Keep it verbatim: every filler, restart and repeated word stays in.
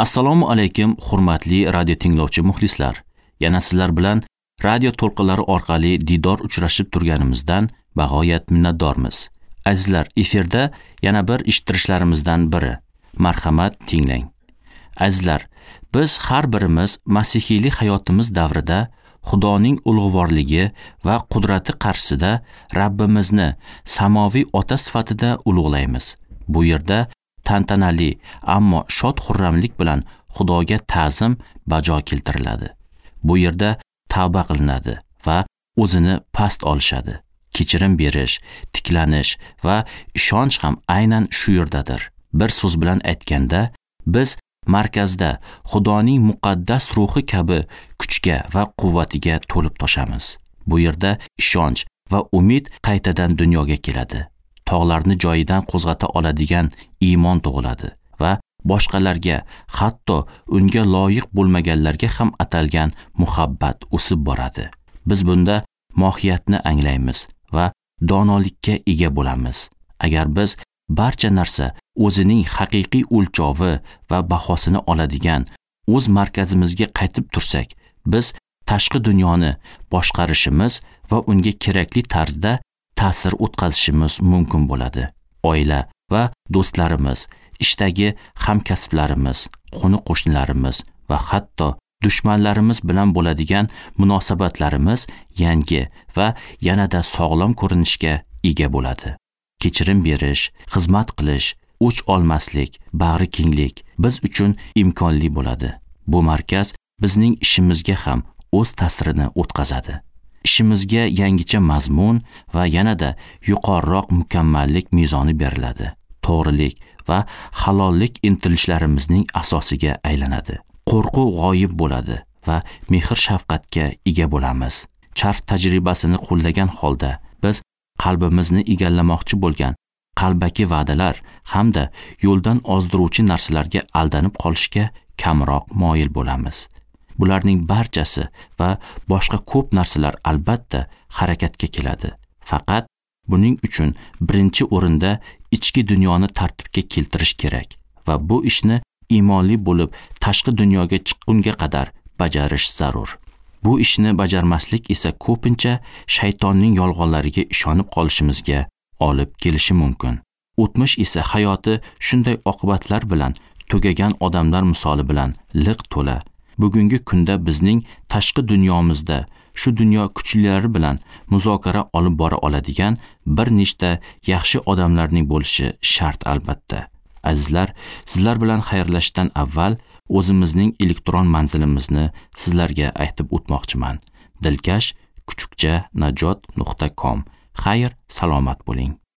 Assalomu alaykum, hurmatli radio tinglovchi muxlislar. Yana sizlar bilan radio to'lqinlari orqali diydor uchrashib turganimizdan bag'oyat minnatdormiz. Azizlar, efirda yana bir eshittirishlarimizdan biri. Marhamat, tinglang. Azizlar, biz har birimiz masihiylik hayotimiz davrida Xudoning ulug'vorligi va qudrati qarshisida Rabbimizni samoviy ota sifatida ulug'laymiz. Bu yerda tantanali, ammo shod-xurramlik bilan Xudoga ta'zim bajo keltiriladi. Bu yerda tavba qilinadi va o'zini past olishadi. Kechirim berish, tiklanish va ishonch ham aynan shu yerdadir. Bir so'z bilan aytganda, biz markazda Xudoning muqaddas ruhi kabi kuchga va quvvatiga to'lib toshamiz. Bu yerda ishonch va umid qaytadan dunyoga keladi. Tog'larni joyidan qo'zg'ata oladigan iymon tug'iladi va boshqalarga, hatto unga loyiq bo'lmaganlarga ham atalgan muhabbat o'sib boradi. Biz bunda mohiyatni anglaymiz va donolikka ega bo'lamiz. Agar biz barcha narsa o'zining haqiqiy o'lchovi va bahosini oladigan o'z markazimizga qaytib tursak, biz tashqi dunyoni boshqarishimiz va unga kerakli tarzda ta'sir o'tkazishimiz mumkin bo'ladi. Oila va do'stlarimiz, ishdagi hamkasblarimiz, qo'ni-qo'shnilarimiz va hatto dushmanlarimiz bilan bo'ladigan munosabatlarimiz yangi va yanada sog'lom ko'rinishga ega bo'ladi. Kechirim berish, xizmat qilish, o'ch olmaslik, bag'ri kenglik biz uchun imkonli bo'ladi. Bu markaz bizning ishimizga ham o'z ta'sirini o'tkazadi. Ishimizga yangicha mazmun va yanada yuqoriroq mukammallik mezoni beriladi. To'g'rilik va halollik intilishlarimizning asosiga aylanadi. Qo'rquv g'oyib bo'ladi va mehr-shafqatga ega bo'lamiz. Charx tajribasini qo'llagan holda biz qalbimizni egallamoqchi bo'lgan qalbaki va'dalar hamda yo'ldan ozdiruvchi narsalarga aldanib qolishga kamroq moyil bo'lamiz. Bularning barchasi va boshqa ko'p narsalar albatta harakatga keladi. Faqat buning uchun birinchi o'rinda ichki dunyoni tartibga keltirish kerak va bu ishni iymonli bo'lib tashqi dunyoga chiqqunga qadar bajarish zarur. Bu ishni bajarmaslik esa ko'pincha shaytonning yolg'onlariga ishonib qolishimizga olib kelishi mumkin. O'tmish esa hayoti shunday oqibatlar bilan tugagan odamlar misoli bilan liq to'la. Bugungi kunda bizning tashqi dunyomizda shu dunyo kuchlilari bilan muzokara olib bora oladigan bir nechta yaxshi odamlarning bo'lishi shart albatta. Azizlar, sizlar bilan xayrlashishdan avval o'zimizning elektron manzilimizni sizlarga aytib o'tmoqchiman. Dilkash kuchukcha najot nuqta com. Xayr, salomat bo'ling.